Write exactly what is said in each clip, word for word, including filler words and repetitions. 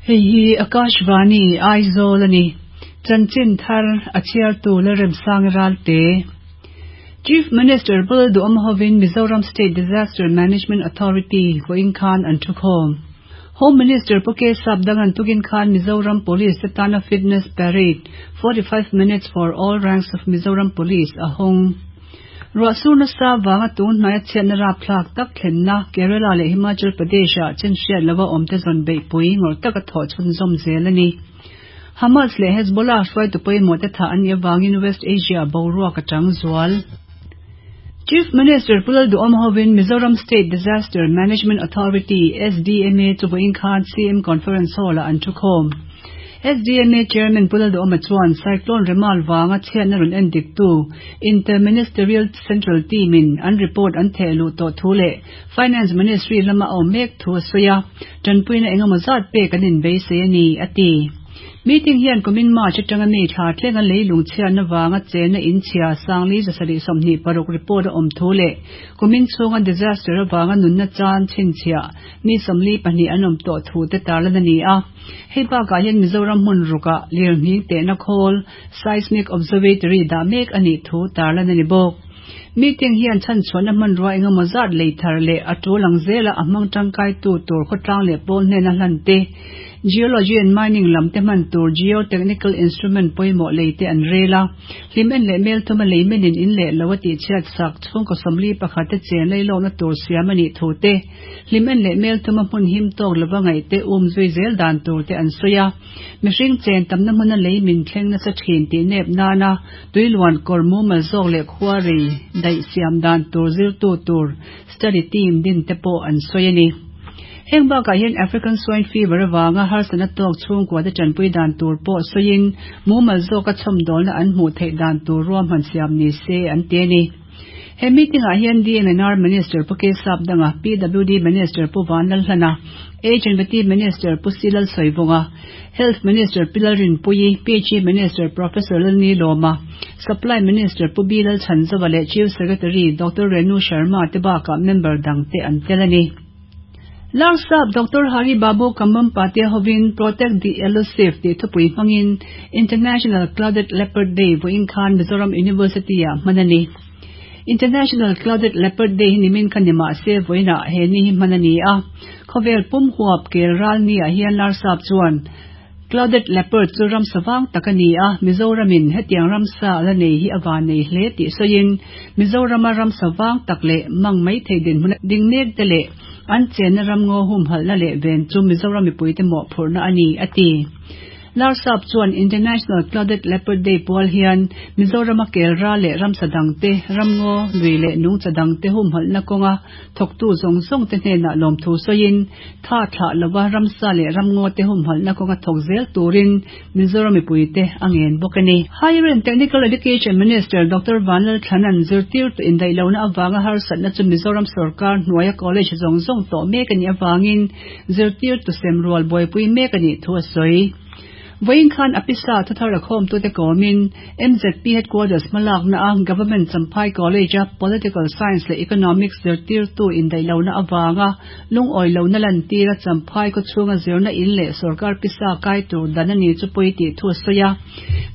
Hei hi Akashvani Aizawl ani. Chanchin thar a chhiartu Lalremsang Ralte. Chief Minister Pu Lalduhoma hovin Mizoram State Disaster Management Authority vawiin khan an thukhawm. Home Minister Pu K Sapdangan tukin khan Mizoram Police te tana Fitness Parade forty-five minutes for all ranks of Mizoram Police a hawng. Ruahsur nasa vanga tun hnaia chhiatna rapthlak tak thlenna Kerala leh Himachal Pradesh ah chenhriat lova awmte zawn beihpui ngawrh taka thawh chhunzawm zel a ni. Hamas leh Hezbollah hruaitu pawimawh te thah an nih avangin West Asia boruak a tang zual. Chief Minister Pu Lalduhoma hovin Mizoram State Disaster Management Authority S D M A chu vawiin khan C M Conference Hall ah an thukhawm. S D M A Chairman Pu Lalduhoma chuan Cyclone Remal wanga chhiatna rawn en diktu Interministerial Central Team in an report an thehluh tawh thu leh Finance Ministry lama a awm mek thu a sawi a, tanpuina engemaw zat pek an inbeisei a ni, a ti. Meeting hian kumin March atanga mi thla thlenga leilung chhiatna wanga chena inchhia sangli zasarih sawmhnih paruk report a awm thu leh kumin chhunga disaster awanga nunna chan chhinchhiah mi sawmli pahnih an awm tawh thu te tarlan a ni a. Hei bakah hian Mizoram hmun ruka lirnghing tehna khawl Seismic Observatory dah mek a nih thu tarlan a ni bawk. Meeting hian chhanchhuahna hmanrua engemaw zat lei thar leh a tul ang zela a hmang tangkai tu tur khawtlang leh pawl hnena hlan te, Geology and Mining lam te hman tur Geotechnical Instrument pawimawh lei te an rel a. Hlim en leh mel thuma lei menin in leh lo a tih chhiat sak chhungkaw sawmli pakhat te chen lei lawkna tur siam a nih thu te, hlim en leh mel thuma hmun him tawk lova ngaih te um zui zel dan tur te an sawi a. Mihring chen tamna hmuna lei min thleng nasa thin tih nep nana tuiluan kawr mumal zawk leh khua rei daih siam dan tur zirtu tur study team din te pawh an sawi a ni. Heng bakah hian African Swine Fever awanga harsatna tawk chhungkua te tanpui dan tur pawh sawiin mumal zawka chhawmdawlna an hmuh theih dan tur ruahman siam ni se an ti a ni. He meeting ah hian D M N R Minister Pu K Sapdanga, P W D Minister Pu Vanlalhlana, H and B T Minister Pu Silal Soivunga, Health Minister Pi Lalrinpuii, P H E Minister Professor Lalni Loma, Supply Minister Pu B Lalchhanzova leh Chief Secretary Doctor Renu Sharma te bakah member dang te an tel a ni. Larsap Doctor Hari Babu Kambhampati hovin Protect the Elusive ti thupui hmangin International Clouded Leopard Day vawiin khan Mizoram University ah hman a ni. International Clouded Leopard Day hi nimin khan ni mahse vawiinah he ni hi hman a ni a. Khawvel pum huap kel ral ni ah hian Larsap chuan Clouded Leopard chu ram sawang tak a ni a, Mizoramin hetiang ramsa la nei hi a van nei hle tih sawiin Mizorama ram sawang tak leh mang mai thei din hmun ding mek te leh an chenna ram ngaw hum halna leh ven chu Mizoram mipui te mawh phurhna a ni, a ti. Larsap chuan International Clouded Leopard Day pual hian Mizorama kel ra leh ramsa dang te, ram ngaw lui leh nungcha dang te hum halna kawnga thawktu zawng zawng te hnenah lawm thu sawiin tha thlah lova ramsa leh ram ngaw te hum halna kawnga thawk zel turin Mizoram mipui te a ngen bawk a ni. Higher and Technical Education Minister Doctor Vanlalthlanan zirtir tu indaih lohna awanga harsatna chu Mizoram Sarkar hnuaia college zawng zawng tawh mek a nih awangin zirtir tu semrual buaipui mek a nih thu a sawi. Vawiin khan apisa thuthar a khawm tu te kawmin M Z P Headquarters hmalakna a Government Champhai College a Political Science leh Economics zirtir tu indaih lohna awanga lungawi lohna lan tira Champhai khaw chhunga zirna in leh sarkar pisa kai tur dan a ni chu pawi tih thu a sawi a.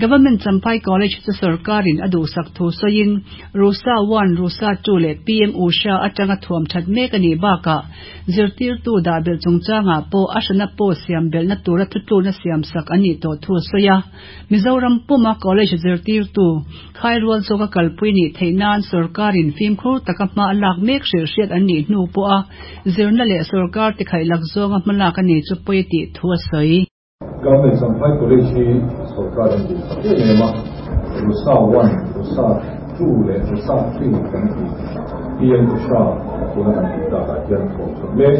Government Champhai College chu sarkarin a duhsak thu sawiin Rusa one, Rusa two leh P M Usha atanga thuam that mek a nih bakah zirtir tu dah belh chungchangah pawh a hrana pawh siam belhna tura thutluna siam sak a nih tawh thu a sawi a. Mizoram puma college zirtir tu khairual zawka kalpui nih theih nan sarkarin fimkhur taka hma a lak mek hrilhhriat an nih hnu pawh a zirna leh sarkar ti khaih lak zawnga hmalak a ni chu pawi tih thu a sawi. Government Champhai College hi sarkarin duhsak em em a, Rusa one, Rusa two leh Rusa three kan ti P M Usha tuna kan tih takah hian thawm chhuah mek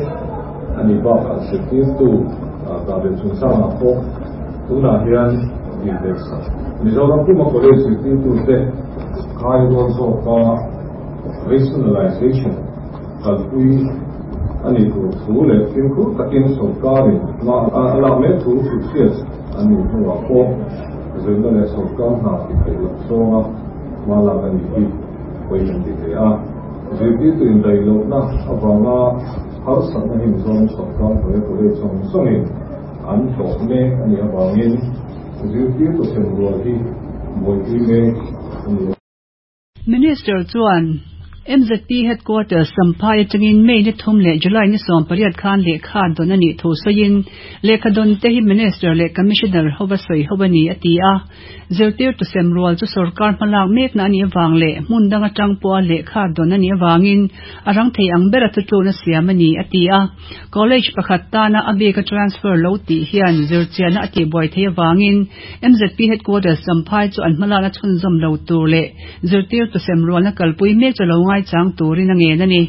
a ni bakah zirtir tu dah belh chungchangah pawh tunah hian dil belh sak. Mizoram puma college zirtir tu te khairual zawka rationalization kalpui a ni tur thu leh fimkhur takin sarkarin hma a lak mek thu hrilhhriat an nih hnuah pawh zirna leh sarkar hna ti theih loh zawnga hma lak a ni hi pawi kan ti thei a. Zirtir tu indaih lohna awanga harsatna hi Mizoram sarkar hnuaia college zawng zawngin an tawh mek a nih avangin zirtirtu sem rual hi buaipui mek a ni. Minister chuan M Z P Headquarters Champhai atangin May ni thum leh July ni sawm pariat khan lehkha dawn a nih thu sawiin, lehkha dawn te hi Minister leh Commissioner hova sawi ho a ni a ti a. Zirtirtu sem rual chu sorkar hmalak mekna a nih avang leh hmun dang atang pawha lehkha dawn a nih avangin a rang thei ang bera thutlukna siam a ni a ti a. College pakhat tana a bika transfer lo tih hian zirchianna a tihbuai theih avangin M Z P Headquarters Champhai chu an hmalakna chhunzawm lo tur leh zirtirtu sem rualna kalpui mek chu lo ngaichang turin a ngen a ni.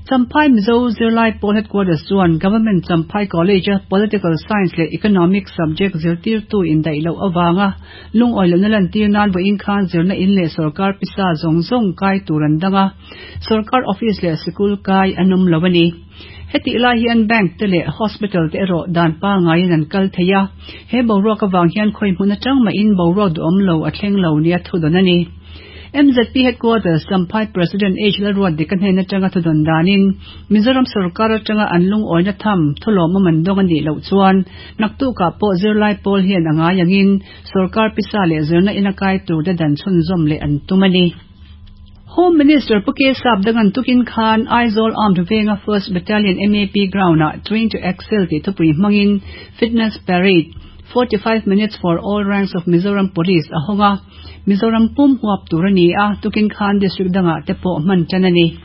Champhai Mizo Zirlai Pawl Headquarters chuan Government Champhai College a Political Science leh Economics subject zirtirtu indaih loh avanga lungawi lohna lantir nan vawiin khan zirna in leh sorkar pisa zawng zawng kai tur an dang a, sorkar office leh sikul kai an awm lo a ni. Hetih lai hian bank te leh hospital te erawh dan pangaiin an kal thei a, he boruak avang hian khawi hmun atang mahin boruak duhawm lo a thleng lo nia thudawn a ni. M Z P Headquarters Champhai President H Lalruatdika hnen atanga thudawn danin Mizoram sorkar atanga an lungawina tham thulawmawm an dawng a nih loh chuan naktukah pawh zirlai pawl hian a ngai angin sorkar pisa leh zirna ina kai tur te dan chhunzawm leh an tum a ni. Home Minister Pu K Sapdangan tukin khan Aizawl Armed Venga First Battalion M A P Ground-ah Train to Excel tih thupui hmangin Fitness Parade forty-five minutes for all ranks of Mizoram Police a hawng a, Mizoram pum huap tur a ni a, tukin khan district dangah te pawh hman tan a ni.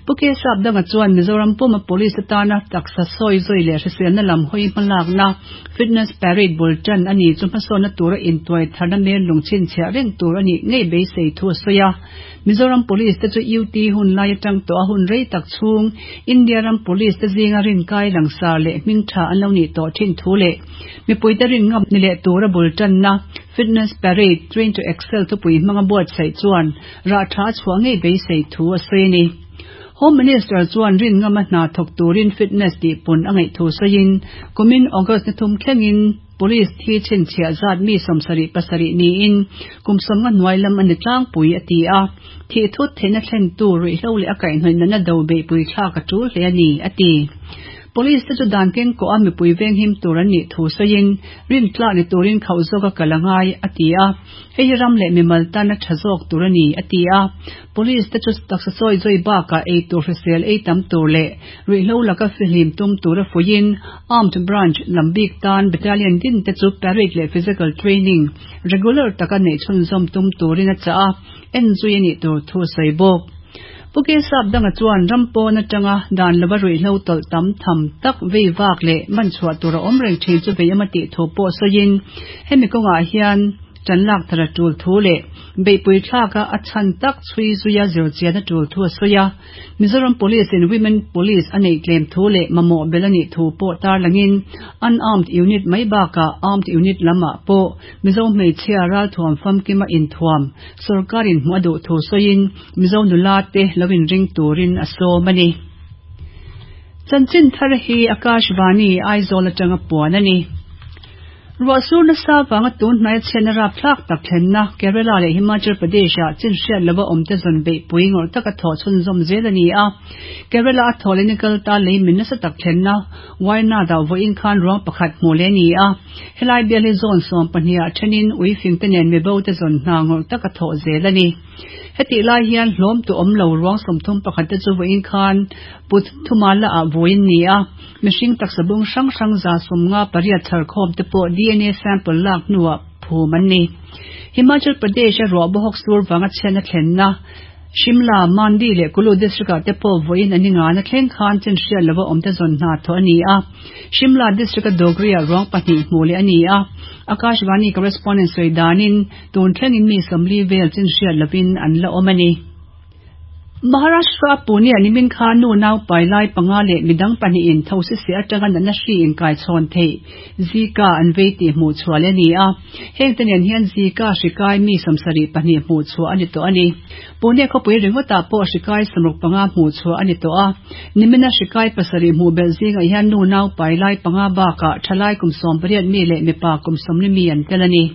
Pu K Sapdanga chuan Mizoram puma police atana taksa sawi zawi leh hriselna lam hawi hmalakna Fitness Parade bul tan a ni chu hmasawnna tura intuai tharna mel lungchhin chhiah reng tur a nih ngei beisei thu a sawi a. Mizoram Police te chu U T hun lai atang tawh a hun rei tak chhung India ram Police te zinga rin kai langsar leh hming tha an lo nih tawh thin thu leh mipuite rin ngam ni leh tura bul tanna Fitness Parade Train to Excel thupui hmanga buatsaih chuan rah tha chhuah ngei beisei thu a sawi a ni. Home Minister chuan rin ngama hna thawk turin fitness tih pun a ngaih thu sawiin, kumin August ni thum thlengin police thi chhinchhiah zat mi sawmsarih pasarih niin kum sawmnga hnuai lam a ni tlangpui a ti a. Thih thut theihna thlen tu ruihhlo leh a kaihhnawih natna do beihpui thlak a tul hle a ni a ti. Police te chu dan keng kawh a mipui venghim tur an nih thu sawiin rin tlak ni turin khauh zawk a kal a ngai a ti a. Hei hi ram leh mimal tana tha zawk tur a ni a ti a. Police te chu taksa sawi zawi bakah ei tur hrisel ei tam tur leh ruihhlo laka fihlim tum tura fuiin Armed Branch lam bik tan battalion din te chu parade leh physical training regular taka neih chhunzawm tum turin a chah a, en zui a nih tur thu a sawi bawk. Pu K Sapdanga chuan ram pawn atanga dan lova ruihhlo tawlh tam tham tak vei vak leh man chhuah tur a awm reng thin chu vei ema tih thu pawh sawiin hemi kawngah hian tan lak thar a tul thu leh beihpui thlaka a chhan tak chhui zuia zirchian a tul thu a sawi a. Mizoram Police in Women Police a neih tlem thu leh mamawh bel a nih thu pawh tarlangin unarmed unit mai bakah armed unit lamah pawh Mizo hmeichhia ralthuam famkima inthuam sorkarin hmuh a duh thu sawiin Mizo nula te lo inring turin a sawm a ni. Chanchin thar hi Akashvani Aizawl atanga puan a ni. Ruahsur nasa wanga tun hnai chhiatna rapthlak tak thlenna Kerala leh Himachal Pradesh ah chin hriat lova awm te zawn beihpui ngawrh taka thawh chhunzawm zel a ni a. Kerala a thaw leh nikal ta lei min nasa tak thlenna Wayanad ah vawiin khan ruang pakhat hmuh leh a ni a. Helai bial hi zone sawm pahnih ah thenin uifing te nen mibo te zawn hna ngawrh taka thawh zel a ni. Hetih lai hian hlawm tu awm lo ruang sawmthum pakhat te chu vawiin khan Puthumala ah vawiin ni a. Mihring taksa bung hrang hrang za sawmnga pariat chhar khawm te pawh D N A sample lak hnuah phum an ni. Himachal Pradesh a ruah bawhawk sur wanga chhiatna thlenna Shimla, Mandi leh Kullu district ah te pawh vawiin an inga na thleng khan chin hriat lova awm te zawn hna thawh a ni a. Shimla district a Dogri ah ruang pahnih hmuh leh a ni a. Akashvani correspondent sawi danin tun thlengin mi sawmli vel chin hriat lovin an la awm a ni. Maharashtra Pune a nimin khan nu nau pai lai panga leh midang pahnih in thosi se atanga natna hri in kai chhawn thei Zika an vei tih hmuh chhuah leh a ni a. Heng te nen hian Zika hri kai mi sawmsarih pahnih hmuh chhuah a ni tawh a ni. Pune khawpui ringawtah pawh hri kai sawmruk panga hmuh chhuah a ni tawh a. Nimina hri kai pasarih hmuh belh zingah hian nu nau pai lai panga bakah thalai kum sawm pariat mi leh mipa kum sawmli mi an tel a ni.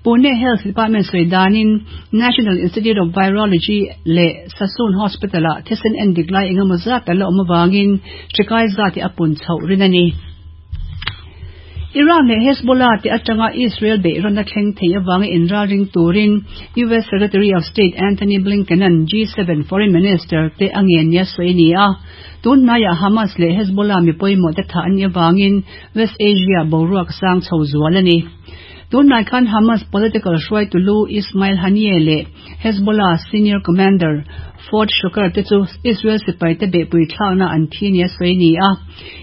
Pune Health Department sawi danin National Institute of Virology leh Sassoon Hospital ah thisen endik lai engemaw zat ala awm awangin hri kai zat hi a pun chhoh rin a ni. Iran leh Hezbollah te atanga Israel beihrawn a thleng thei awanga inralring turin U S Secretary of State Antony Blinken an G seven Foreign Minister te angen nia sawi ni a. Tun hnaiah Hamas leh Hezbollah mi pawimawh te thah an nih awangin West Asia boruak sang chho zual a ni. Tun hnai khan Hamas political hruaitu lu Ismail Haniyeh leh Hezbollah senior commander Fuad Shukr te chu Israel sipai te beihpui thlakna an thi nia sawi ni a.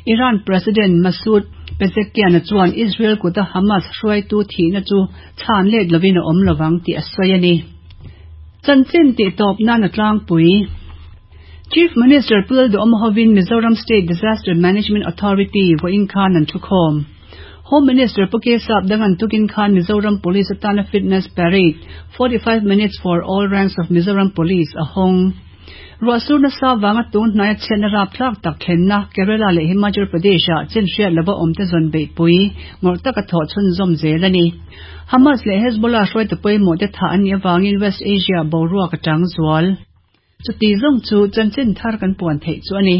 Iran President Masoud Pezeshkian chuan Israel kuta Hamas hruaitu thihna chu chhan let lovin a awm lovang tih a sawi a ni. Chanchin tih tawp nan a tlangpui. Chief Minister Pu Lalduhoma hovin Mizoram State Disaster Management Authority vawiin khan an thukhawm. Home Minister Pu K Sapdangan tukin khan Mizoram Police atana fitness parade forty-five minutes for all ranks of Mizoram Police a hawng. Ruahsur nasa wanga tun hnaia chhiatna rapthlak tak thlenna Kerala leh Himachal Pradesh ah chin hriat lova awm te zawn beihpui ngawrh taka thawh chhunzawm zel a ni. Hamas leh Hezbollah hruaitu pawimawh te thah an nih awangin West Asia boruak a tang zual. Chuti zawng chu chanchin thar kan puan theih chu a ni.